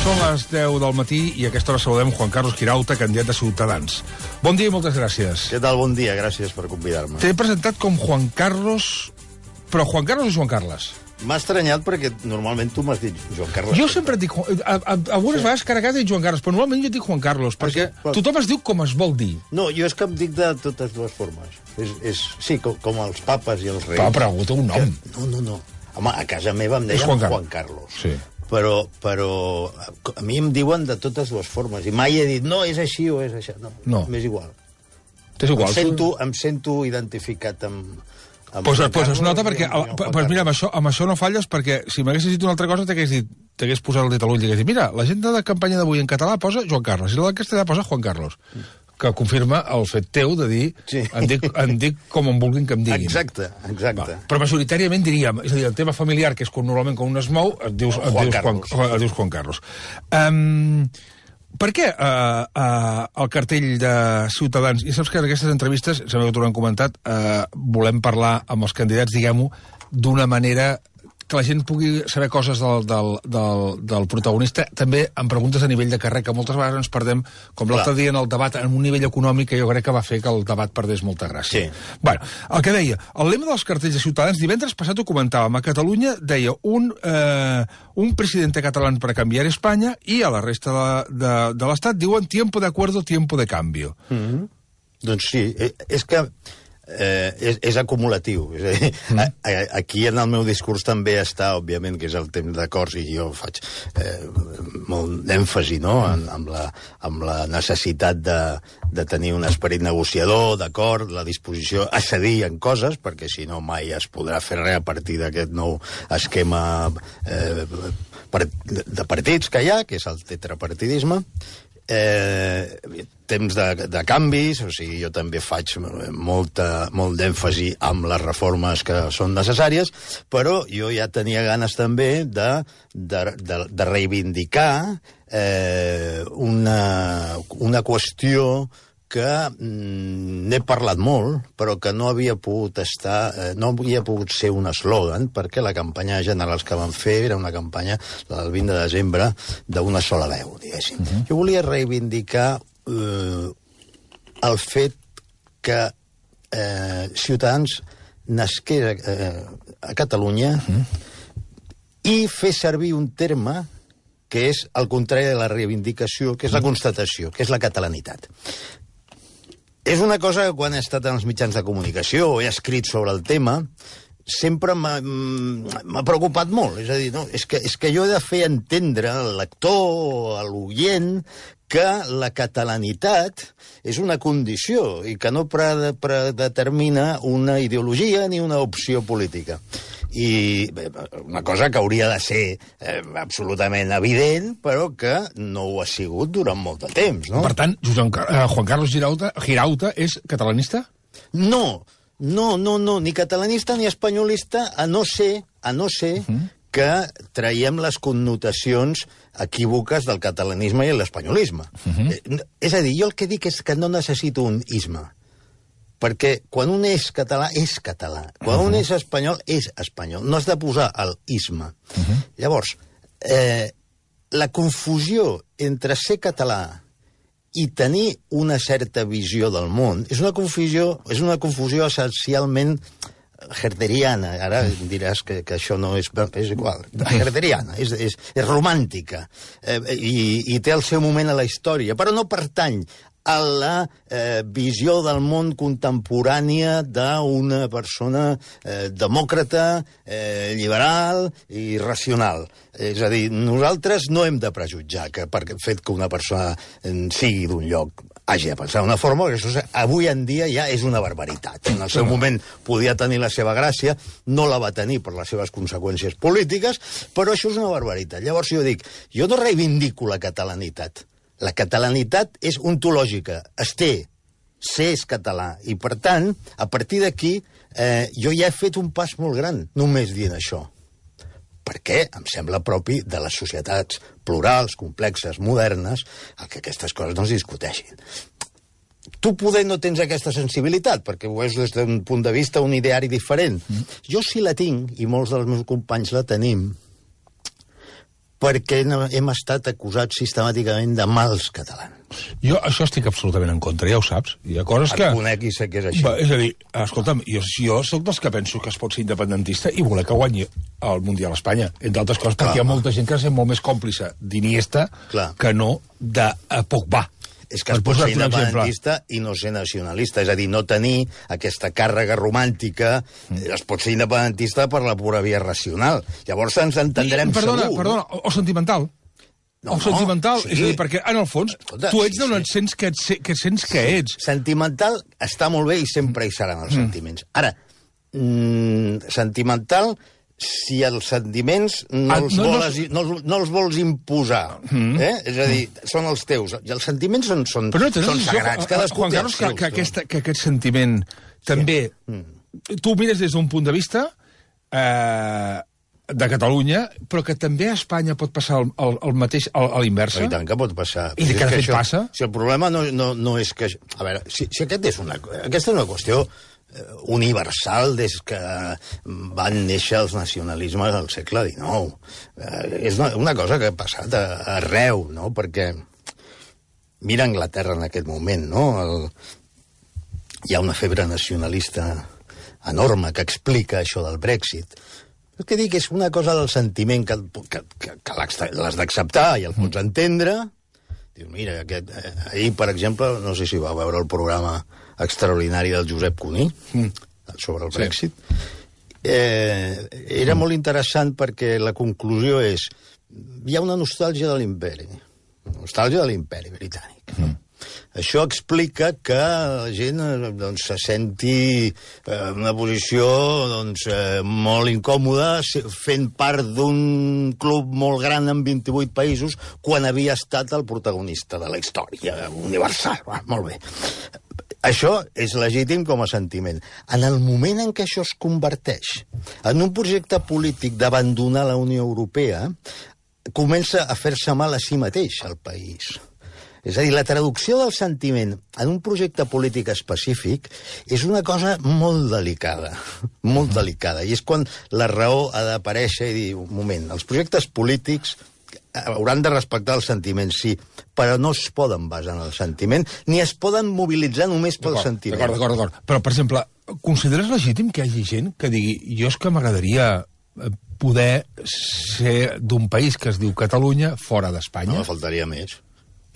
Són les 10 del matí i a aquesta hora saludem Juan Carlos Girauta, candidat de Ciutadans. Bon dia i moltes gràcies. Què tal? Bon dia, gràcies per convidar-me. T'he presentat com Juan Carlos, però Juan Carlos o Joan Carles? M'ha estranyat perquè normalment tu m'has dit Joan Carles. Jo sempre et dic... Algunes vegades carregat he dit Joan Carles, però normalment jo et dic Juan Carlos, perquè tothom es diu com es vol dir. No, jo és que em dic de totes dues formes. Sí, com els papes i els reis. Però té un nom. No. Home, a casa meva em deien Juan Carlos. Sí. Però a mi em diuen de totes dues formes. I mai he dit, no, és així o és això. No. M'és igual. T'és igual. Em sento identificat amb... Pues es nota perquè... Pues mira, amb això no falles, perquè si m'haguessis dit una altra cosa t'hagués posat el dit a l'ull i t'hagués dit, mira, l'agenda de campanya d'avui en català posa Joan Carles i la de castellà posa Juan Carlos, que confirma el fet teu de dir, sí. em dic com em vulguin que em diguin. Exacte. Va, però majoritàriament diríem, és a dir, el tema familiar, que és normalment quan un es mou, et dius Juan Carlos. Per què el cartell de Ciutadans, i saps que en aquestes entrevistes, sembla que t'ho han comentat, volem parlar amb els candidats, diguem-ho, d'una manera que la gent pugui saber coses del protagonista, també amb preguntes a nivell de carrer, que moltes vegades ens perdem, com l'altre dia en el debat, en un nivell econòmic que jo crec que va fer que el debat perdés molta gràcia. Sí. Bueno, el que deia, el lema dels cartells de Ciutadans, divendres passat ho comentàvem, a Catalunya deia un presidente catalán para cambiar España, i a la resta de l'Estat diuen tiempo de acuerdo, tiempo de cambio. Doncs sí, és que és acumulatiu. És a dir, aquí en el meu discurs també està, òbviament, que és el temps d'acords, i jo faig molt d'èmfasi, no?, amb la necessitat de tenir un esperit negociador, d'acord, la disposició a cedir en coses, perquè si no mai es podrà fer res a partir d'aquest nou esquema de partits que hi ha, que és el tetrapartidisme. Temps de canvis, o sigui, jo també faig molt d'èmfasi amb les reformes que són necessàries, però jo ja tenia ganes també de reivindicar una qüestió que n'he parlat molt, però que no havia pogut ser un eslògan, perquè la campanya generals que van fer era una campanya, la del 20 de desembre, d'una sola veu, diguéssim. Jo volia reivindicar el fet que Ciutadans nasqués a Catalunya i fer servir un terme que és el contrari de la reivindicació, que és la constatació, que és la catalanitat. És una cosa que quan he estat en els mitjans de comunicació o he escrit sobre el tema, sempre m'ha preocupat molt. És a dir, no, és que jo he de fer entendre al lector o a l'oient que la catalanitat és una condició i que no predetermina una ideologia ni una opció política. I una cosa que hauria de ser absolutament evident, però que no ho ha sigut durant molt de temps, no? Per tant, Juan Carlos Girauta és catalanista? No, ni catalanista ni espanyolista, a no ser que traiem les connotacions equívoques del catalanisme i l'espanyolisme. És a dir, jo el que dic és que no necessito un isme, perquè quan un és català, és català. Quan un és espanyol, és espanyol. No has de posar el isme. Llavors, la confusió entre ser català i tenir una certa visió del món és una confusió essencialment herderiana. Ara diràs que això no és igual. Herderiana, és romàntica i té el seu moment a la història, però no pertany a la visió del món contemporània d'una persona demòcrata, liberal i racional. És a dir, nosaltres no hem de prejutjar que per el fet que una persona sigui d'un lloc hagi de pensar d'una forma, perquè això avui en dia ja és una barbaritat. En el seu moment podia tenir la seva gràcia, no la va tenir per les seves conseqüències polítiques, però això és una barbaritat. Llavors jo dic, jo no reivindico la catalanitat. La catalanitat és ontològica, es té, ser és català, i per tant, a partir d'aquí, jo ja he fet un pas molt gran, només dient això. Perquè em sembla propi de les societats plurals, complexes, modernes, que aquestes coses no es discuteixin. Tu poder no tens aquesta sensibilitat, perquè ho veus des d'un punt de vista, un ideari diferent. Jo sí la tinc, i molts dels meus companys la tenim, perquè hem estat acusats sistemàticament de mals catalans. Jo això estic absolutament en contra, ja ho saps. Hi ha coses que... Et conec i sé que és així. És a dir, escolta'm, jo soc dels que penso que es pot ser independentista i voler que guanyi el Mundial a Espanya, entre altres coses, perquè hi ha molta gent que és molt més còmplice d'Iniesta que no de Pogba. És que es pot ser independentista i no ser nacionalista, és a dir, no tenir aquesta càrrega romàntica, es pot ser independentista per la pura via racional. Llavors ens entendrem segur. Perdona, o sentimental. Sentimental, és a dir, perquè en el fons tu ets d'on et sents que ets. Sentimental està molt bé i sempre hi seran els sentiments. Ara, sentimental, si els sentiments no els vols imposar, és a dir, són els teus, i els sentiments són sagrats, cadascú té els seus. Que aquest sentiment també, tu ho mires des d'un punt de vista de Catalunya, però que també a Espanya pot passar el mateix a l'inversa. I tant que pot passar. I que de fet passa? Si el problema no és que... A veure, si aquesta és una qüestió universal des que van néixer els nacionalismes al segle XIX. És una cosa que ha passat arreu, no? Perquè mira Anglaterra en aquest moment, no? Hi ha una febre nacionalista enorme que explica això del Brexit. El que dic és una cosa del sentiment que l'has d'acceptar i el pots entendre. Dius, mira, ahir, per exemple, no sé si va veure el programa extraordinari del Josep Cuní sobre el Brexit. Era molt interessant perquè la conclusió és hi ha una nostàlgia de l'imperi. Nostàlgia de l'imperi britànic. Això explica que la gent se senti en una posició molt incòmoda fent part d'un club molt gran amb 28 països quan havia estat el protagonista de la història universal. Molt bé. Això és legítim com a sentiment. En el moment en què això es converteix en un projecte polític d'abandonar la Unió Europea, comença a fer-se mal a si mateix al país. És a dir, la traducció del sentiment en un projecte polític específic és una cosa molt delicada, i és quan la raó ha d'aparèixer i dir, un moment, els projectes polítics hauran de respectar els sentiments, sí, però no es poden basar en el sentiment, ni es poden mobilitzar només pel sentiment. D'acord. Però, per exemple, consideres legítim que hi hagi gent que digui jo és que m'agradaria poder ser d'un país que es diu Catalunya fora d'Espanya? No, faltaria més.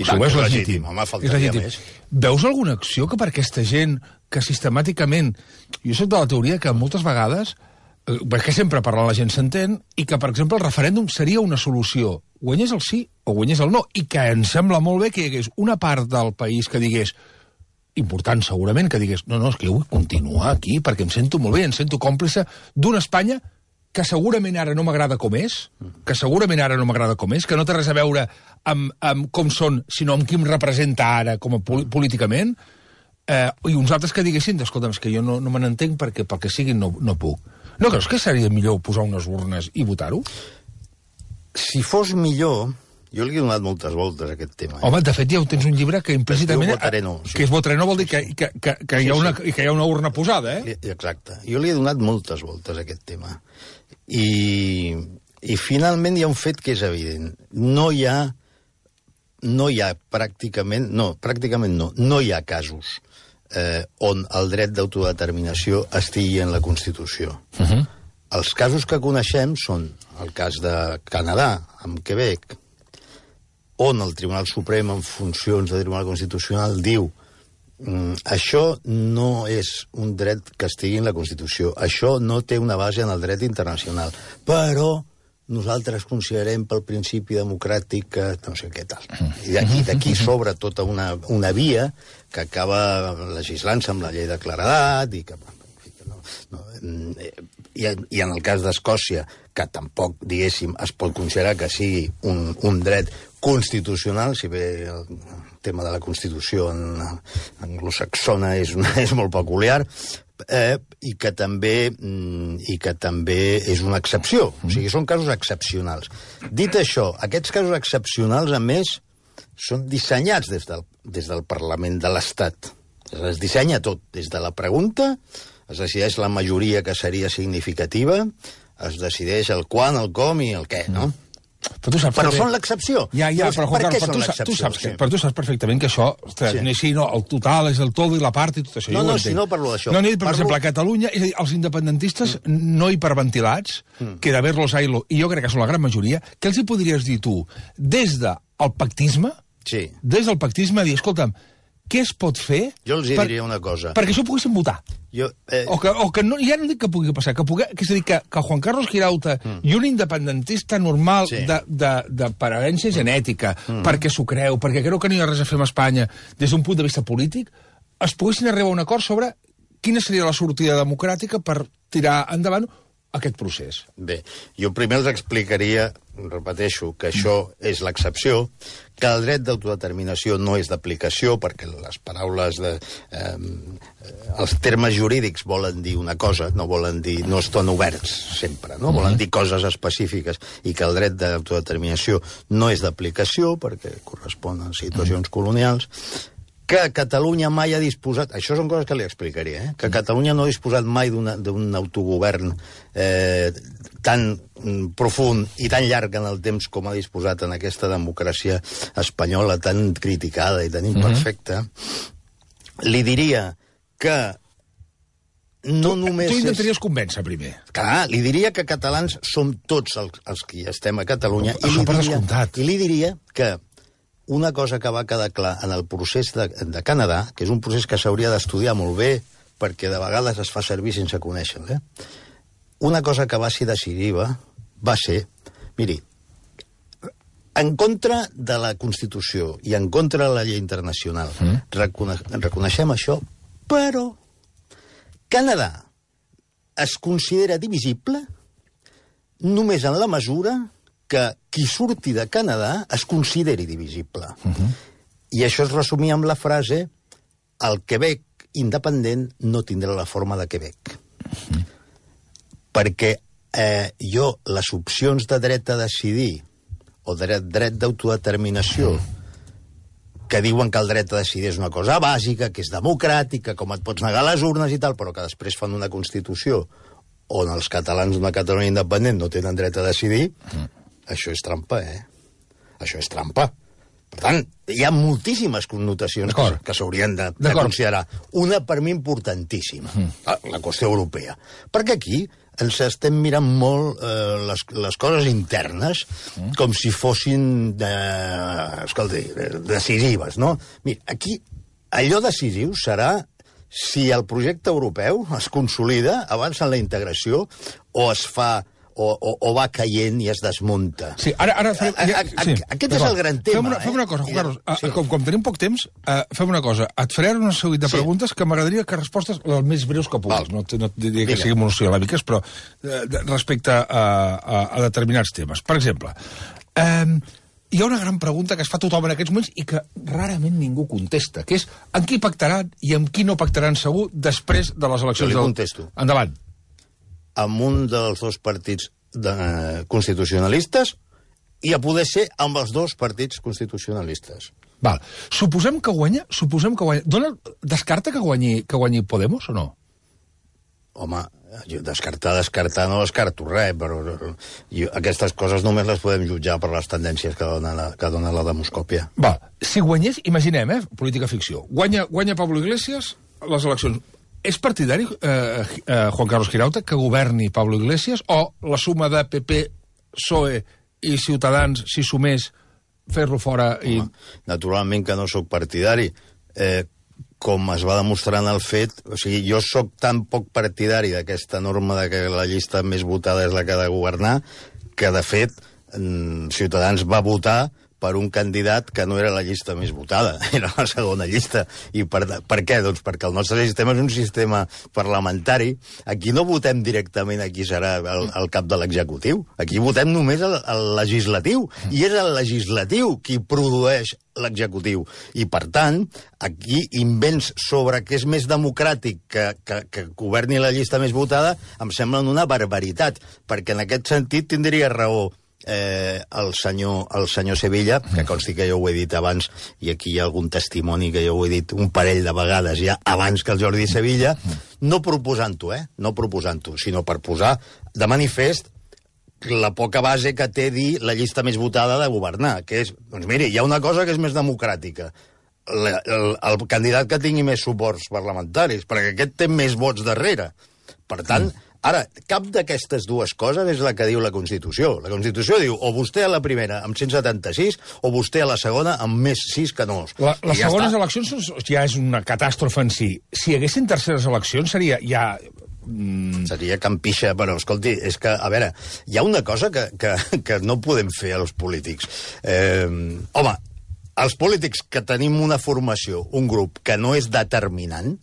I això és legítim. Home, faltaria més. Veus alguna acció que per aquesta gent que sistemàticament... Jo soc de la teoria que moltes vegades, perquè sempre parlant la gent s'entén, i que, per exemple, el referèndum seria una solució. Guanyés el sí o guanyés el no. I que em sembla molt bé que hi hagués una part del país que digués, important segurament, que digués no, és que jo vull continuar aquí perquè em sento molt bé, em sento còmplice d'una Espanya que segurament ara no m'agrada com és, que no té res a veure amb com són, sinó amb qui em representa ara com a políticament, i uns altres que diguessin, escolta'm, és que jo no me n'entenc perquè pel que sigui no puc. No creus que seria millor posar unes urnes i votar-ho? Si fos millor... Jo li he donat moltes voltes a aquest tema. Home, de fet, ja tens un llibre que implícitament... Votaré no. Que és votaré no vol dir que hi ha una urna posada, eh? Exacte. Jo li he donat moltes voltes a aquest tema. I finalment hi ha un fet que és evident. No hi ha pràcticament no hi ha casos on el dret d'autodeterminació estigui en la Constitució. Els casos que coneixem són el cas de Canadà, amb Quebec, on el Tribunal Suprem, en funcions de Tribunal Constitucional, diu això no és un dret que estigui en la Constitució, això no té una base en el dret internacional, però nosaltres considerem pel principi democràtic que no sé què tal. I d'aquí s'obre tota una via que acaba legislant-se amb la llei de claredat i que... I en el cas d'Escòcia, que tampoc, diguéssim, es pot considerar que sigui un dret constitucional, si bé el tema de la Constitució anglosaxona és molt peculiar, i que també és una excepció. O sigui, són casos excepcionals. Dit això, aquests casos excepcionals, a més, són dissenyats des del Parlament de l'Estat. Es dissenya tot, des de la pregunta, es decideix la majoria que seria significativa, es decideix el quan, el com i el què, no? Però són l'excepció. Però Juan Carlos, tu saps perfectament que això, el total és el todo i la part i tot això. No, si no parlo d'això. No, per exemple, a Catalunya, és a dir, els independentistes no hiperventilats, que d'haver-los ailo, i jo crec que són la gran majoria, què els hi podries dir tu? Des del pactisme, dir, escolta'm, què es pot fer... Jo els diria una cosa. Perquè això ho poguessin votar. O que no, ja no dic que pugui passar, és a dir, que Juan Carlos Girauta i un independentista normal de parència genètica, perquè s'ho creu, perquè creu que no hi ha res a fer amb Espanya des d'un punt de vista polític, es poguessin arribar a un acord sobre quina seria la sortida democràtica per tirar endavant aquest procés. Bé, jo primer els explicaria, repeteixo, que això és l'excepció, que el dret d'autodeterminació no és d'aplicació, perquè les paraules els termes jurídics volen dir una cosa, no estan oberts sempre, no? Volen dir coses específiques, i que el dret d'autodeterminació no és d'aplicació, perquè correspon a situacions colonials, que Catalunya mai ha disposat... Això són coses que li explicaria, que Catalunya no ha disposat mai d'un autogovern tan profund i tan llarg en el temps com ha disposat en aquesta democràcia espanyola tan criticada i tan imperfecta. Li diria que no només... Tu intentaries convèncer primer. Clar, li diria que catalans som tots els que estem a Catalunya, i li diria que una cosa que va quedar clar en el procés de Canadà, que és un procés que s'hauria d'estudiar molt bé, perquè de vegades es fa servir sense conèixer-lo, una cosa que va ser decisiva va ser, miri, en contra de la Constitució i en contra de la llei internacional, reconeixem això, però Canadà es considera divisible només en la mesura que qui surti de Canadà es consideri divisible. I això es resumia amb la frase el Quebec independent no tindrà la forma de Quebec. Perquè les opcions de dret a decidir o dret d'autodeterminació que diuen que el dret a decidir és una cosa bàsica, que és democràtica, com et pots negar a les urnes i tal, però que després fan una Constitució on els catalans d'una Catalunya independent no tenen dret a decidir, això és trampa, Això és trampa. Per tant, hi ha moltíssimes connotacions que s'haurien de considerar. Una, per mi, importantíssima, la qüestió europea. Perquè aquí ens estem mirant molt les coses internes com si fossin decisives, no? Mira, aquí allò decisiu serà si el projecte europeu es consolida, avança en la integració, o es fa... o va caient i es desmunta. Sí, ara aquest és el gran tema. Fem una cosa, Juan Carlos. Com tenim poc temps, fem una cosa. Et faré una seguit de preguntes que m'agradaria que respostes les més breus que puguis. No et diria que siguin monosil·làbiques, però respecte a determinats temes. Per exemple, hi ha una gran pregunta que es fa tothom en aquests moments i que rarament ningú contesta, que és amb qui pactaran i amb qui no pactaran segur després de les eleccions. Jo li contesto. Endavant. Amb un dels dos partits constitucionalistes i a poder ser amb els dos partits constitucionalistes. Val. Suposem que guanya. Descarta que guanyi Podemos o no? Home, descartar no descarto res, però aquestes coses només les podem jutjar per les tendències que dona la demoscòpia. Val. Si guanyés, imaginem, política ficció, guanya Pablo Iglesias les eleccions. És partidari Juan Carlos Girauta que governi Pablo Iglesias o la suma de PP, PSOE i Ciutadans, si sumés, fer-lo fora i... Naturalment que no sóc partidari. Com es va demostrar en el fet... O sigui, jo sóc tan poc partidari d'aquesta norma de que la llista més votada és la que ha de governar, que, de fet, Ciutadans va votar per un candidat que no era la llista més votada, era la segona llista. I per què? Doncs perquè el nostre sistema és un sistema parlamentari. Aquí no votem directament a qui serà el cap de l'executiu. Aquí votem només al legislatiu. I és el legislatiu qui produeix l'executiu. I, per tant, aquí invents sobre què és més democràtic que governi la llista més votada em semblen una barbaritat, perquè en aquest sentit tindria raó el senyor Sevilla, que consti que jo ho he dit abans, i aquí hi ha algun testimoni que jo ho he dit un parell de vegades ja abans que el Jordi Sevilla, no proposant-ho, sinó per posar de manifest la poca base que té dir la llista més votada de governar, que és, doncs miri, hi ha una cosa que és més democràtica. El candidat que tingui més suports parlamentaris, perquè aquest té més vots darrere. Per tant, ara, cap d'aquestes dues coses és la que diu la Constitució. La Constitució diu o vostè a la primera amb 176 o vostè a la segona amb més 6 que no. Les segones eleccions ja és una catàstrofe en si. Si hi haguessin terceres eleccions seria ja... Seria campixa, però escolti, és que, a veure, hi ha una cosa que no podem fer als polítics. Home, els polítics que tenim una formació, un grup que no és determinant,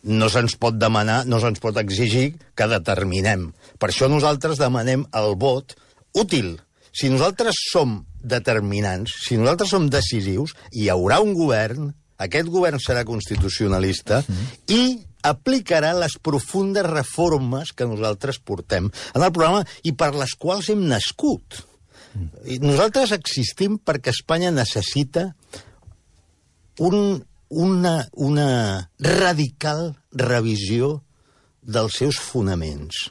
no se'ns pot demanar, no se'ns pot exigir que determinem. Per això nosaltres demanem el vot útil. Si nosaltres som determinants, si nosaltres som decisius, hi haurà un govern, aquest govern serà constitucionalista i aplicarà les profundes reformes que nosaltres portem en el programa i per les quals hem nascut. I nosaltres existim perquè Espanya necessita una radical revisió dels seus fonaments.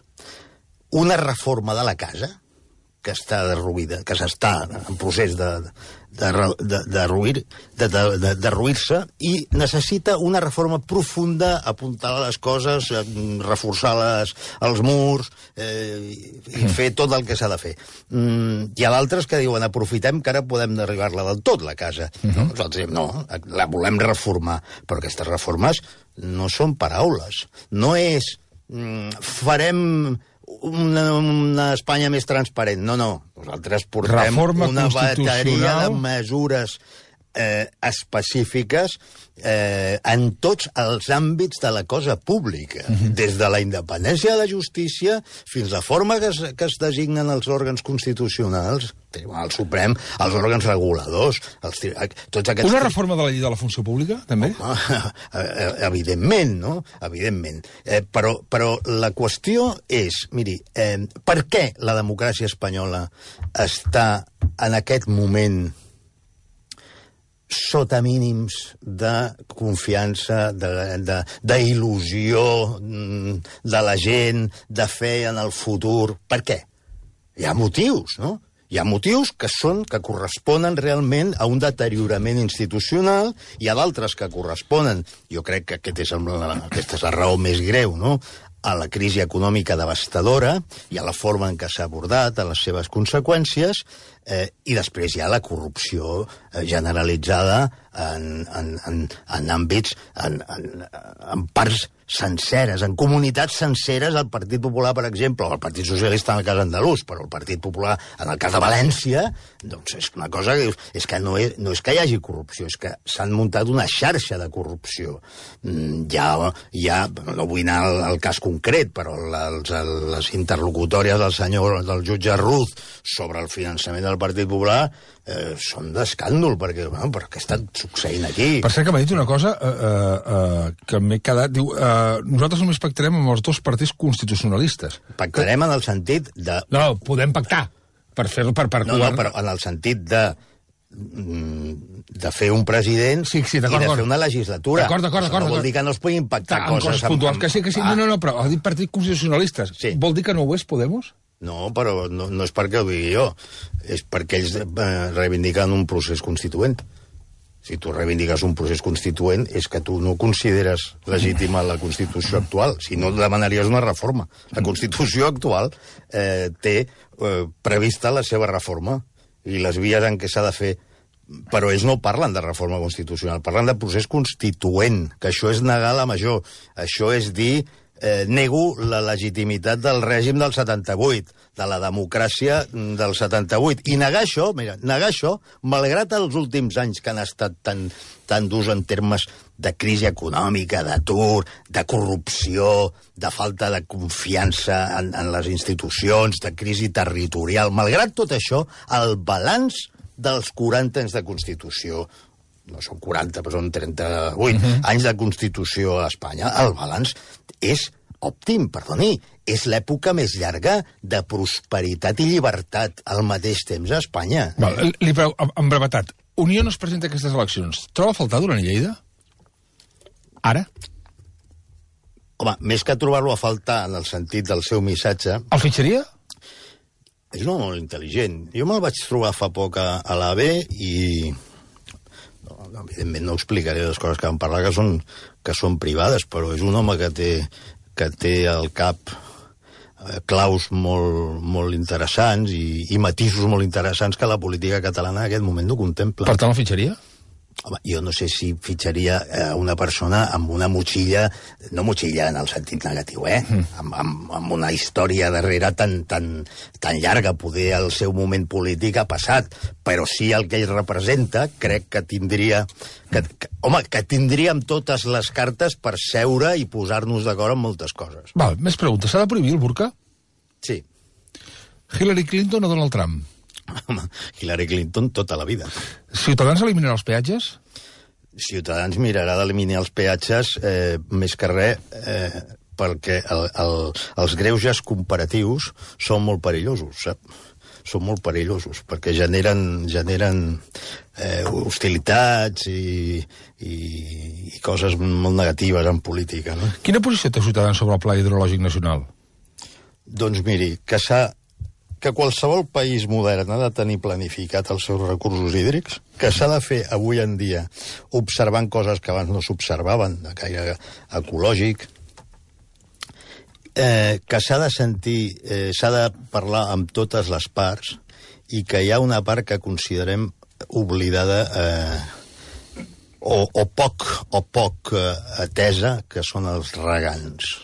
Una reforma de la casa, que està derruïda, que s'està en procés derruir-se, i necessita una reforma profunda, apuntar les coses, reforçar els murs, i fer tot el que s'ha de fer. Hi ha d'altres que diuen, aprofitem que ara podem derribar-la del tot, la casa. Nosaltres diem, no, la volem reformar, però aquestes reformes no són paraules. No és, farem una Espanya més transparent. No, no. Nosaltres portem una bateria de mesures específiques en tots els àmbits de la cosa pública, des de la independència de la justícia fins a la forma que es designen els òrgans constitucionals, el Suprem, els òrgans reguladors, tots aquests... Una reforma de la llei de la funció pública, també? Evidentment, no? Evidentment. Però la qüestió és, miri, per què la democràcia espanyola està en aquest moment sota mínims de confiança, d'il·lusió de la gent, de fe en el futur? Per què? Hi ha motius, no? Hi ha motius que corresponen realment a un deteriorament institucional, hi ha d'altres que corresponen, jo crec que aquesta és la raó més greu, no?, a la crisi econòmica devastadora i a la forma en què s'ha abordat, a les seves conseqüències, i després hi ha la corrupció generalitzada en àmbits, en parts senceres, en comunitats senceres. El Partit Popular, per exemple, o el Partit Socialista en el cas andalús, però el Partit Popular en el cas de València, doncs és una cosa que és que no és que hi hagi corrupció, és que s'han muntat una xarxa de corrupció. No vull anar al cas concret, però les interlocutòries del jutge Ruz sobre el finançament del Partit Popular són d'escàndol, perquè què està succeint aquí? Per cert, que m'ha dit una cosa que m'he quedat... Diu, nosaltres només pactarem amb els dos partits constitucionalistes. Pactarem en el sentit de... No, podem pactar per fer-lo per No, però en el sentit de fer un president i de fer una legislatura. D'acord. No vol dir que no es puguin pactar coses puntuals. Que sí. No, però ha dit partits constitucionalistes. Vol dir que no ho és Podemos? No, però no és perquè ho digui jo. És perquè ells reivindiquen un procés constituent. Si tu reivindiques un procés constituent és que tu no consideres legítima la Constitució actual. Si no, demanaries una reforma. La Constitució actual té prevista la seva reforma i les vies en què s'ha de fer. Però ells no parlen de reforma constitucional, parlen de procés constituent, que això és negar la major. Això és dir... nego la legitimitat del règim del 78, de la democràcia del 78. I negar això, malgrat els últims anys que han estat tan durs en termes de crisi econòmica, d'atur, de corrupció, de falta de confiança en les institucions, de crisi territorial, malgrat tot això, el balanç dels 40 anys de Constitució, no són 40, però són 38 anys de Constitució a Espanya, el balanç és òptim, perdoni, és l'època més llarga de prosperitat i llibertat al mateix temps a Espanya. Li prego, en brevetat, Unió no es presenta a aquestes eleccions. Troba a faltar Duran i Lleida? Ara? Home, més que trobar-lo a faltar en el sentit del seu missatge... El fitxaria? és un home molt intel·ligent. Jo me'l vaig trobar fa poc a l'AB i... evidentment no explicaré les coses que vam parlar, que són privades, però és un home que té al cap claus molt interessants i matisos molt interessants que la política catalana en aquest moment no contempla. Per tant, el fitxaria? Home, jo no sé si fitxaria una persona amb una motxilla, no motxilla en el sentit negatiu, amb una història darrere tan llarga. Poder el seu moment polític ha passat, però sí el que ell representa, crec que tindria... que tindríem totes les cartes per seure i posar-nos d'acord en moltes coses. Val, més preguntes. S'ha de prohibir el burca? Sí. Hillary Clinton o Donald Trump? Hillary Clinton tota la vida. Ciutadans eliminarà els peatges? Ciutadans mirarà d'eliminar els peatges més que res perquè els greuges comparatius són molt perillosos, sap? Són molt perillosos perquè generen hostilitats i coses molt negatives en política, no? Quina posició té Ciutadans sobre el Pla Hidrològic Nacional? Doncs miri, que qualsevol país modern ha de tenir planificat els seus recursos hídrics, que s'ha de fer avui en dia observant coses que abans no s'observaven, de caire ecològic, que s'ha de sentir, s'ha de parlar amb totes les parts i que hi ha una part que considerem oblidada o poc atesa, que són els regants.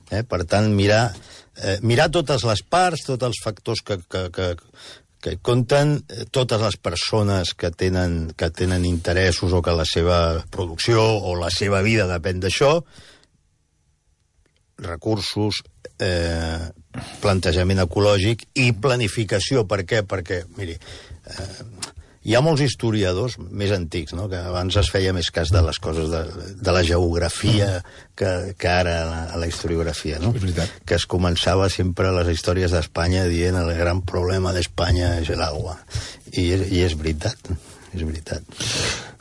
Per tant, mirar totes les parts, tots els factors que compten, totes les persones que tenen interessos o que la seva producció o la seva vida depèn d'això, recursos, plantejament ecològic i planificació. Per què? Perquè, miri, hi ha molts historiadors més antics, no?, que abans es feia més cas de les coses de la geografia que ara a la historiografia, no? És veritat. Que es començava sempre les històries d'Espanya dient el gran problema d'Espanya és l'aigua. I és veritat. És veritat.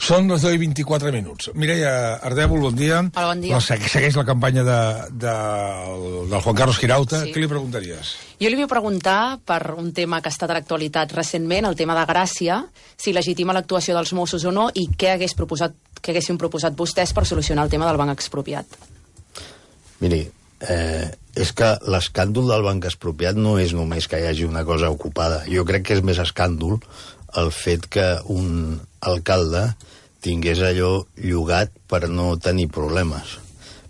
Són les 10:24. Mireia Ardèvol, bon dia. Hola, bon dia. Segueix la campanya del Juan Carlos Girauta. Sí. Què li preguntaries? Jo li vull preguntar per un tema que ha estat a l'actualitat recentment, el tema de Gràcia, si legitima l'actuació dels Mossos o no, i què haguessin proposat vostès per solucionar el tema del banc expropiat. Miri, és que l'escàndol del banc expropiat no és només que hi hagi una cosa ocupada. Jo crec que és més escàndol el fet que un alcalde tingués allò llogat per no tenir problemes,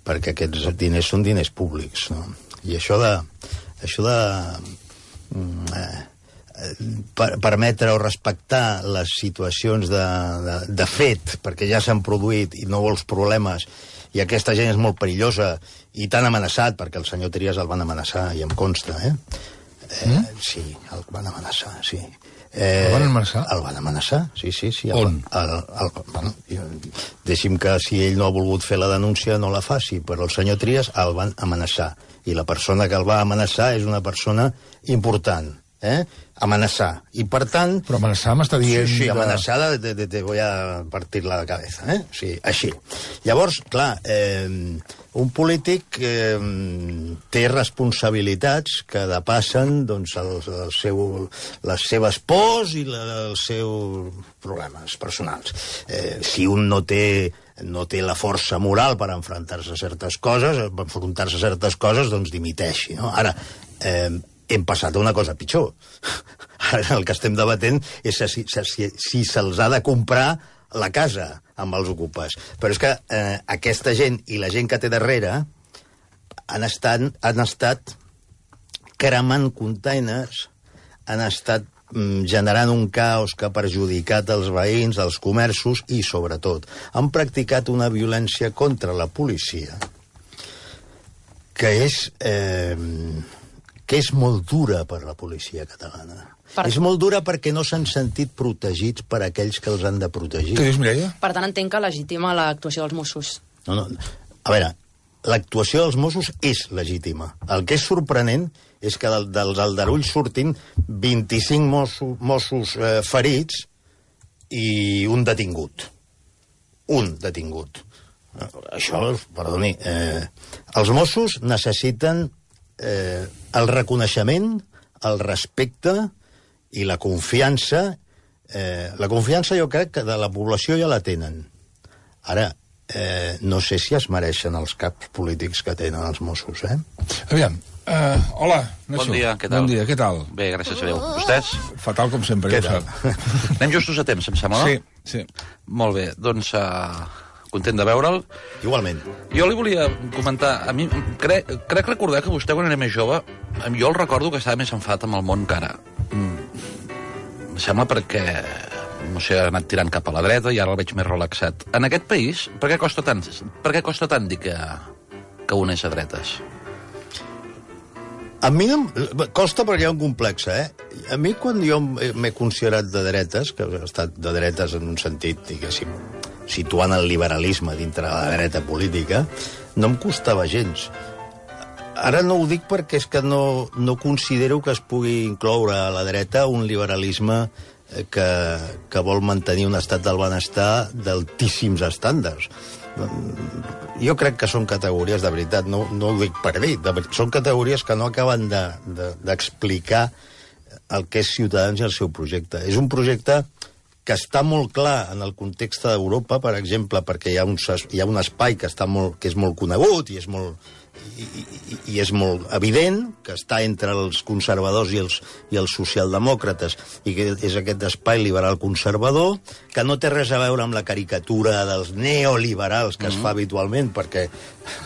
perquè aquests diners són diners públics, no? I això de permetre o respectar les situacions de fet, perquè ja s'han produït i no vols problemes, i aquesta gent és molt perillosa i tan amenaçat, perquè el senyor Trias el van amenaçar, i em consta, sí, el van amenaçar, sí. El van amenaçar? El van amenaçar, sí. On? Bueno, deixi'm que si ell no ha volgut fer la denúncia no la faci, però el senyor Trias el van amenaçar, i la persona que el va amenaçar és una persona important, amenaçar, i per tant... Però amenaçar m'està dient... Sí, amenaçar te voy a partir la cabeza, sí, així. Llavors, clar, un polític té responsabilitats que depassen doncs, les seves pors i els seus problemes personals. Si un no té la força moral per enfrontar-se a certes coses, doncs dimiteixi, no? Ara, hem passat a una cosa pitjor. Ara el que estem debatent és si se'ls ha de comprar la casa amb els ocupes. Però és que aquesta gent i la gent que té darrere han estat cremant containers, han estat generant un caos que ha perjudicat els veïns, els comerços i, sobretot, han practicat una violència contra la policia que és molt dura per la policia catalana. És molt dura perquè no s'han sentit protegits per aquells que els han de protegir. Què dius, Mireia? Per tant, entenc que legitima l'actuació dels Mossos. No. A veure, l'actuació dels Mossos és legítima. El que és sorprenent és que dels aldarulls surtin 25 Mossos ferits i un detingut. Un detingut. Això, perdoni, els Mossos necessiten el reconeixement, el respecte i la confiança. La confiança jo crec que de la població ja la tenen. Ara, no sé si es mereixen els caps polítics que tenen els Mossos, Aviam, hola, Nacho. Bon dia, què tal? Bon dia, què tal? Bé, gràcies a Déu. Vostès? Fatal com sempre, Què ja ho tal? sap. Anem justos a temps, em sembla, no? Sí. Molt bé, doncs content de veure'l. Igualment. Jo li volia comentar, a mi crec recordar que vostè, quan era més jove, jo el recordo que estava més enfadat amb el món que ara. Em sembla perquè, no sé, ha anat tirant cap a la dreta i ara el veig més relaxat. En aquest país, per què costa tant dir que un és a dretes? A mi no, costa perquè hi ha un complex, A mi, quan jo m'he considerat de dretes, que he estat de dretes en un sentit, diguéssim, situant el liberalisme dintre de la dreta política, no em costava gens. Ara no ho dic perquè és que no considero que es pugui incloure a la dreta un liberalisme que vol mantenir un estat del benestar d'altíssims estàndards. Jo crec que són categories, de veritat, no ho dic per dir, són categories que no acaben d'explicar el que és Ciutadans i el seu projecte. És un projecte que està molt clar en el context d'Europa, per exemple, perquè hi ha un espai que és molt conegut i és molt evident, que està entre els conservadors i els socialdemòcrates, i que és aquest espai liberal conservador, que no té res a veure amb la caricatura dels neoliberals que es fa habitualment, perquè,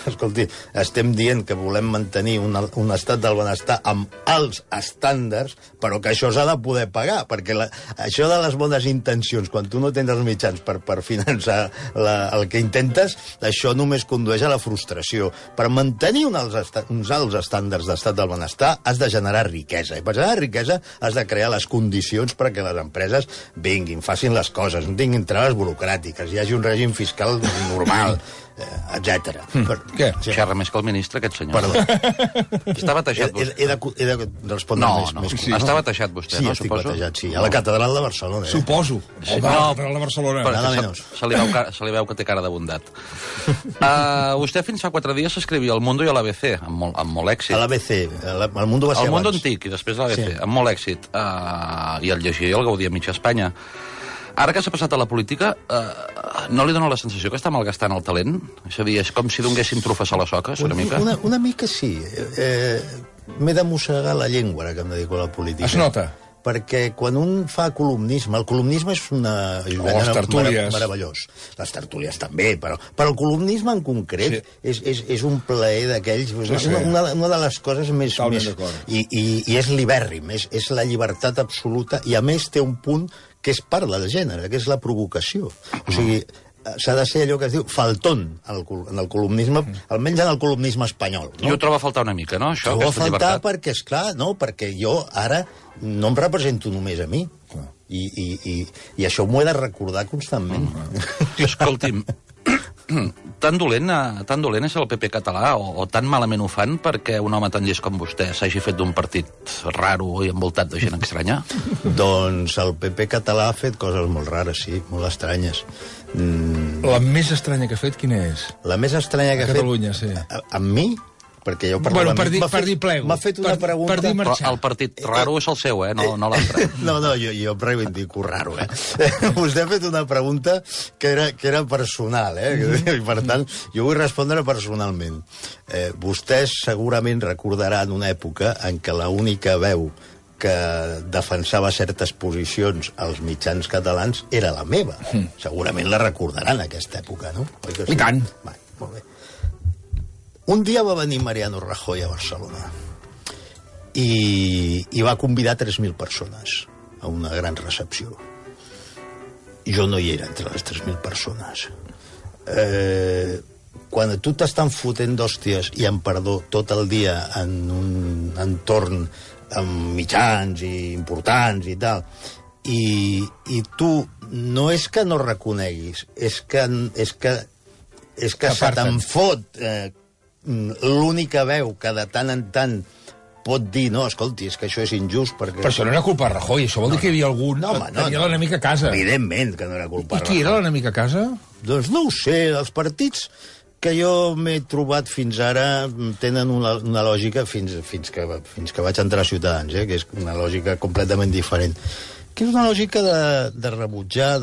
escolti, estem dient que volem mantenir un estat del benestar amb alts estàndards, però que això s'ha de poder pagar, perquè això de les bones intencions, quan tu no tens els mitjans per finançar el que intentes, això només condueix a la frustració. Per mantenir uns alts estàndards d'estat del benestar has de generar riquesa, i per generar riquesa has de crear les condicions perquè les empreses vinguin, facin les coses, no tinguin traves burocràtiques, hi hagi un règim fiscal normal, etc. Què? Sí. Xerra més que el ministre, aquest senyor. Perdó. Està batejat vostè. He de respondre més. Sí, està batejat vostè, Sí, no, estic suposo? batejat, sí. A la catedral de Barcelona. Suposo. Sí, Home, no, la catedral de Barcelona. Però Nada que menos. se li veu que té cara de bondat. Vostè fins fa 4 dies s'escrivia al Mundo i a l'ABC, amb molt èxit. A l'ABC. El Mundo va ser El Mundo abans. antic i després l'ABC, Sí. amb molt èxit. I el llegia i el gaudia a mitja Espanya. Ara que s'ha passat a la política, no li dona la sensació que està malgastant el talent? És a dir, és com si donguéssim trufes a les soques, una mica? Una mica sí. M'he de mossegar la llengua, ara que em dedico a la política. Es nota. Perquè quan un fa columnisme, el columnisme és una les tertúlies. meravellós. Les tertúlies també, però el columnisme en concret és un plaer d'aquells, Sí. una de les coses més... Totalment d'acord. I és libèrrim, és la llibertat absoluta, i a més té un punt que és part del gènere, que és la provocació. O sigui, s'ha de ser allò que es diu faltón en el columnisme, almenys en el columnisme espanyol. I ho troba a faltar una mica, no, això, Trobo a aquesta faltar llibertat? perquè, esclar, perquè jo ara no em represento només a mi. I això m'ho he de recordar constantment. Escolti'm, tan dolent és el PP català, o tan malament ho fan perquè un home tan llest com vostè s'hagi fet d'un partit raro i envoltat de gent estranya? Doncs el PP català ha fet coses molt rares, sí, molt estranyes. La més estranya que ha fet, quina és? La més estranya que A ha fet... Catalunya, sí. Amb mi? Perquè jo parlo Bueno, amb mi. per dir plego. M'ha fet una pregunta... Per dir Però marxar. el partit raro és el seu, no l'altre. No, jo reivindico raro, Vostè ha fet una pregunta que era personal, I per tant, jo vull respondre personalment. Vostès segurament recordaran una època en què l'única veu que defensava certes posicions als mitjans catalans era la meva. Segurament la recordaran, aquesta època, no? I tant. Va, molt bé. Un dia va venir Mariano Rajoy a Barcelona i va convidar 3.000 persones a una gran recepció. Jo no hi era entre les 3.000 persones. Quan tu t'estan fotent d'hòsties i amb perdó tot el dia en un entorn amb mitjans i importants i tal, i tu no és que no reconeguis, és que se te'n fot l'única veu que de tant en tant pot dir, no, escolti, és que això és injust perquè... Però això no era culpa de Rajoy, això vol dir que hi havia algun... No, home, tenia l'enemic a casa. Evidentment que no era culpa I qui era l'enemic a casa? Doncs no ho sé, els partits que jo m'he trobat fins ara tenen una lògica fins que vaig entrar a Ciutadans, que és una lògica completament diferent, que és una lògica de rebutjar,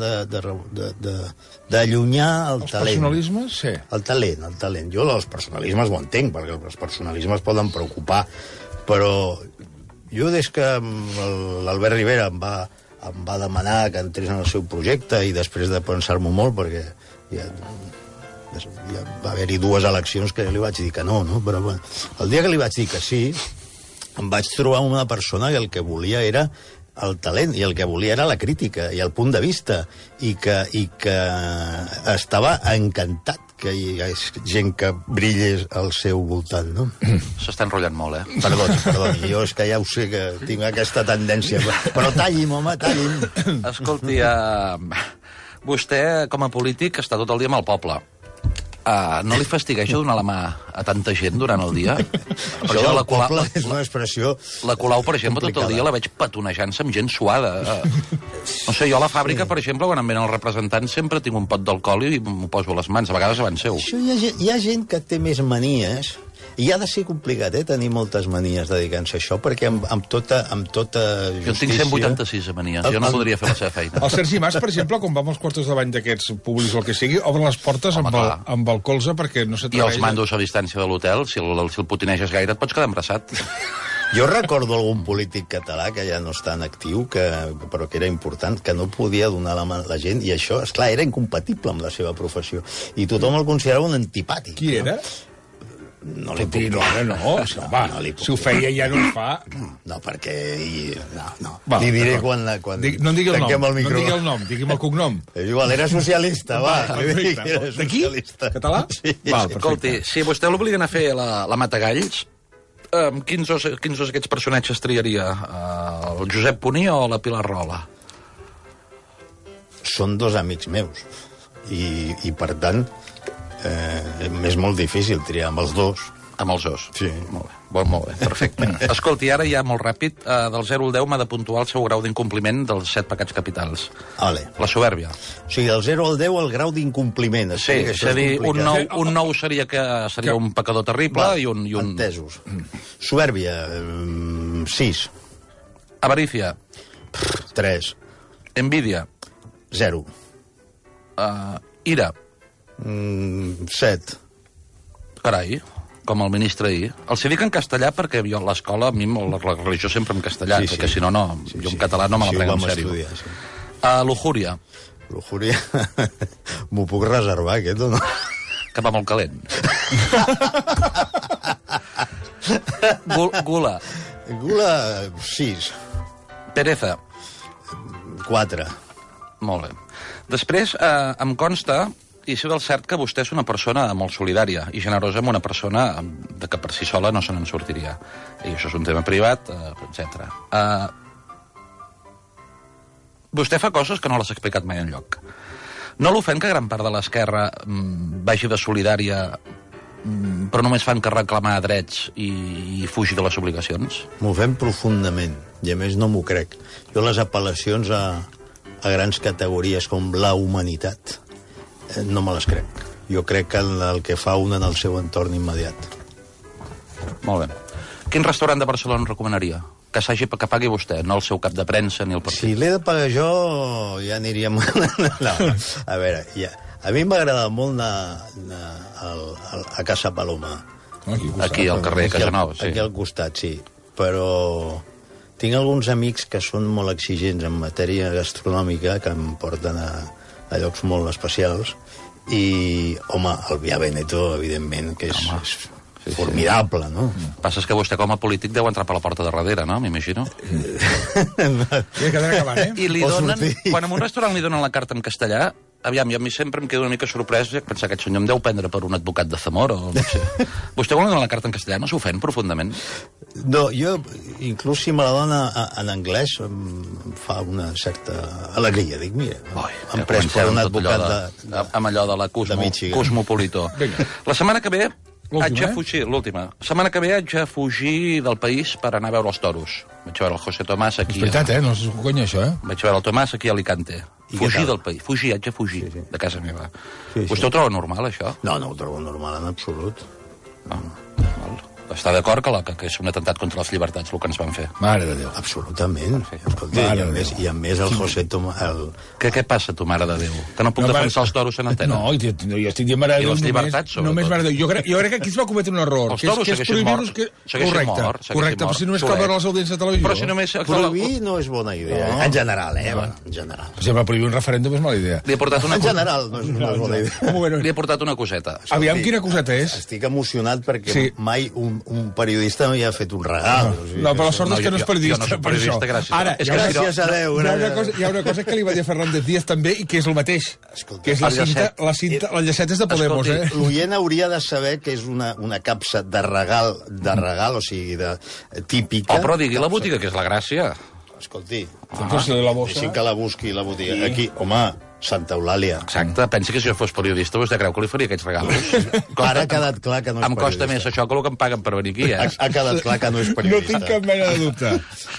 d'allunyar el talent. Els personalismes, sí. El talent. Jo els personalismes ho entenc, perquè els personalismes poden preocupar, però jo des que l'Albert Rivera em va demanar que entrés en el seu projecte i després de pensar-m'ho molt, perquè ja va haver-hi 2 eleccions que li vaig dir que no, però bueno, el dia que li vaig dir que sí, em vaig trobar una persona que el que volia era el talent, i el que volia era la crítica i el punt de vista, i que estava encantat que hi hagués gent que brillés al seu voltant, no? S'està enrotllant molt, Perdoni, jo és que ja ho sé que tinc aquesta tendència, però talli'm, home, talli'm. Escolti, vostè, com a polític, està tot el dia amb el poble. No li fastigueja donar la mà a tanta gent durant el dia? Això del poble és una expressió La Colau, per exemple, tot el dia la veig petonejant-se amb gent suada. No sé, jo a la fàbrica, per exemple, quan em venen els representants, sempre tinc un pot d'alcohol i m'ho poso a les mans, a vegades abans seu. Això hi ha gent que té més manies, i ha de ser complicat, tenir moltes manies dedicant-se a això, perquè amb tota justícia... Jo en tinc 186 manies, jo no podria fer la seva feina. El Sergi Mas, per exemple, quan va amb els quartos de bany d'aquests públics o el que sigui, obre les portes amb el colze perquè no s'atreveix. I els mandos a distància de l'hotel, si el potineges gaire et pots quedar embrassat. Jo recordo algun polític català que ja no està en actiu, però que era important, que no podia donar la mà a la gent, i això, esclar, era incompatible amb la seva professió. I tothom el considerava un antipàtic. Qui era? No li puc dir. No, si ho feia ja no ho fa. No, perquè... No. Va, li diré quan no en digui el nom, digui'm el cognom. És igual, era socialista, va. D'aquí? Català? Sí. Escolti, si vostè l'obliguen a fer la Matagalls, quins d'aquests personatges triaria? El Josep Puní o la Pilar Rola? Són 2 amics meus. I per tant, és molt difícil triar amb els 2. Amb els 2? Sí. Molt bé, perfecte. Escolti, ara ja molt ràpid, del 0 al 10 m'ha de puntuar el seu grau d'incompliment dels 7 pecats capitals. Vale. La soberbia. O sigui, del 0 al 10 el grau d'incompliment. Sí, és a dir, un 9 seria un pecador terrible i un... Entesos. Soberbia, 6. Avarícia. 3. Envídia. 0. Ira. 7. Carai, com el ministre ahir. Els hi dic en castellà perquè jo a l'escola, a mi la religió sempre en castellà, perquè si no, jo en català no me la prego en sèrio. Lujuria. Lujuria, m'ho puc reservar, aquest, o no? Que va molt calent. Gula. Gula, 6. Pereza. 4. Molt bé. Després, em consta, i sé del cert, que vostè és una persona molt solidària i generosa amb una persona de que per si sola no se n'en sortiria. I això és un tema privat, etc. Vostè fa coses que no les ha explicat mai enlloc. No l'ofèn que gran part de l'esquerra vagi de solidària però només fan que reclamar drets i fugir de les obligacions? M'ofèn profundament, i a més no m'ho crec. Jo les apel·lacions a grans categories com la humanitat no me les crec. Jo crec que el que fa un en el seu entorn immediat. Molt bé. Quin restaurant de Barcelona recomanaria? Que pagui vostè, no el seu cap de premsa ni el partit. Si l'he de pagar jo, ja aniríem... No, a veure, a mi m'agrada molt anar a Casa Paloma. Aquí, al carrer Casanova, sí. Aquí al costat, sí. Però tinc alguns amics que són molt exigents en matèria gastronòmica, que em porten a llocs molt especials, i, home, el Via Veneto, evidentment, que és formidable, no? El que passa és que vostè, com a polític, deu entrar per la porta de darrere, no? M'imagino. Sí, que acabant, I li donen... Quan en un restaurant li donen la carta en castellà, aviam, jo a mi sempre em quedo una mica sorprès de pensar que aquest senyor em deu prendre per un advocat de Zamora o no sé. Vostè vol donar la carta en castellà, no s'ofèn profundament? No, jo, inclús si me la dona en anglès, em fa una certa alegria. Dic, mira, em pres per un advocat amb allò de la Cosmopolitó. La setmana que ve haig de fugir, l'última. La setmana que ve haig de fugir del país per anar a veure els toros. Vaig veure el José Tomàs aquí... És veritat, no és conya, això, Vaig veure el Tomàs aquí a Alicante. Fugir del país. Fugir, haig de fugir de casa meva. Vostè ho troba normal, això? No, no ho trobo normal en absolut. Està d'acord que és un atemptat contra les llibertats el que ens van fer? Mare de Déu. Absolutament. Escolta, i a més el José Tomás... Què passa, tu, mare de Déu? Que no puc defensar els toros en antena? No, jo estic dient mare de Déu. I les llibertats, sobretot. Només mare de Déu. Jo crec que aquí es va cometre un error. Els toros segueixen morts. Correcte, però si només cal veure les audiències de televisió. Però si només... Prohibir no és bona idea. En general, en general. Per exemple, prohibir un referèndum és mala idea. En general no és una bona idea. Li he portat una coseta. Aviam quina coseta és. Estic emocionat perquè mai un periodista no hi ha fet un regal. No, però la sort és que no és periodista. Jo no soc periodista, gràcies. Ara, gràcies a Déu. Hi ha una cosa que li va dir a Fernández Díaz també i que és el mateix. Que és la llaceta és de Podemos, eh? L'oient hauria de saber que és una capsa de regal, o sigui, típica. Però digui la botiga, que és la gràcia. Escolti, deixin que la busqui la botiga. Aquí, home, Santa Eulàlia. Exacte, pensi que si jo fos periodista vostè creu que li faria aquests regals? Ara ha quedat clar que no és periodista. Em costa més això que el que em paguen per venir aquí, eh? Ha quedat clar que no és periodista. No tinc cap mena de dubte.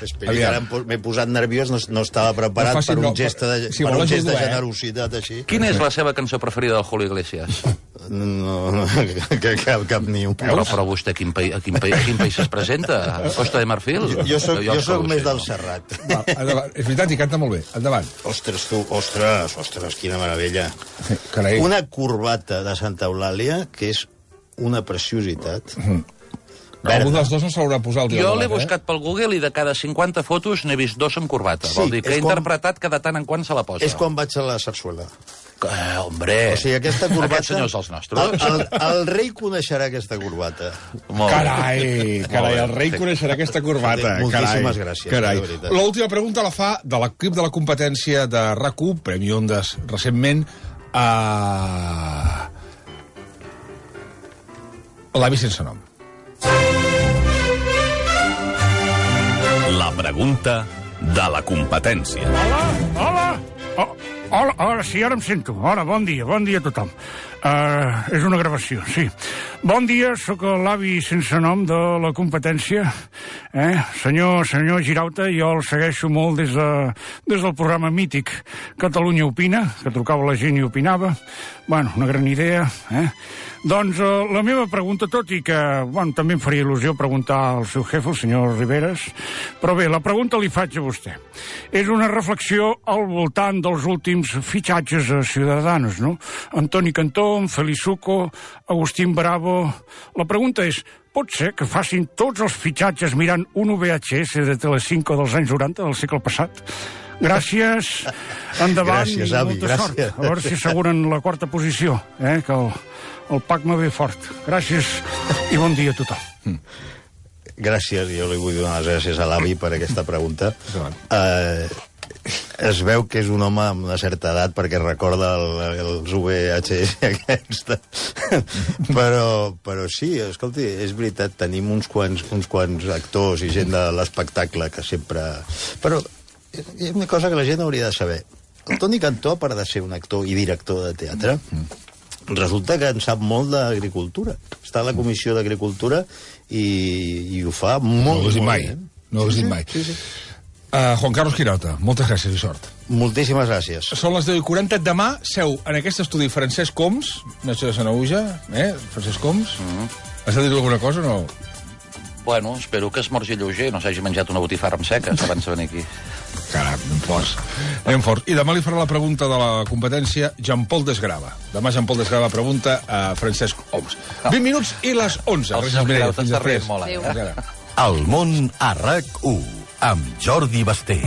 Esperi, que ara m'he posat nerviós, no estava preparat per un gest de generositat així. Quina és la seva cançó preferida del Julio Iglesias? No, cap ni un. Però vostè a quin país es presenta? A Costa de Marfil? Jo soc més del Serrat. És veritat, i canta molt bé. Endavant. Ostres, quina meravella. Carai. Una corbata de Santa Eulàlia que és una preciositat. Algun dels dos no s'haurà posat. Jo l'he buscat pel Google i de cada 50 fotos n'he vist 2 amb corbata. Vol dir que he interpretat que de tant en quant se la posa. És quan vaig a la sarsuela. Hombre, o sigui, aquesta corbata... Aquests senyors els nostres. El rei coneixerà aquesta corbata. Carai, el rei coneixerà aquesta corbata. Moltíssimes gràcies. L'última pregunta la fa de l'equip de la competència de RAC1, Premi Ondas recentment, a l'avi sense nom. La pregunta de la competència. Hola, sí, ara em sento. Hola, bon dia a tothom. És una gravació, sí. Bon dia, sóc l'avi sense nom de la competència. Senyor Girauta, jo el segueixo molt des del programa mític Catalunya Opina, que trucava la gent i opinava. Bueno, una gran idea, Doncs la meva pregunta, tot i que també em faria il·lusió preguntar al seu jefe, el senyor Riveras, però bé, la pregunta li faig a vostè. És una reflexió al voltant dels últims fitxatges a Ciudadanos, no? Antoni Cantó, Felizuco, Agustín Bravo... La pregunta és, pot ser que facin tots els fitxatges mirant un VHS de Telecinco dels anys 90 del segle passat? Gràcies, endavant. Gràcies, avi, molta sort. A veure si asseguren la 4ª posició, que el PAC me ve fort. Gràcies i bon dia a tothom. Gràcies, jo li vull donar les gràcies a l'avi per aquesta pregunta. Es veu que és un home amb una certa edat perquè recorda els VHS aquesta. Però sí, escolti, és veritat, tenim uns quants actors i gent de l'espectacle que sempre... Però hi ha una cosa que la gent hauria de saber. El Toni Cantó, a part de ser un actor i director de teatre, resulta que en sap molt d'agricultura. Està a la Comissió d'Agricultura i ho fa molt bé. No ho has dit mai. Juan Carlos Girauta, moltes gràcies i sort. Moltíssimes gràcies. Són les 10:40. Demà seu en aquest estudi Francesc Homs, mestre de Sanaüja, Francesc Homs. Has de dir alguna cosa o no? Bueno, espero que esmorgi lleuger, no s'hagi menjat una botifarra amb seques abans de venir aquí. Caram, anem forts. I demà li farà la pregunta de la competència Jean-Paul Desgrava. Demà Jean-Paul Desgrava pregunta a Francesc Homs. 20 minuts i les 11. El senyor Girauta està rient molt. El món a RAC1 amb Jordi Basté.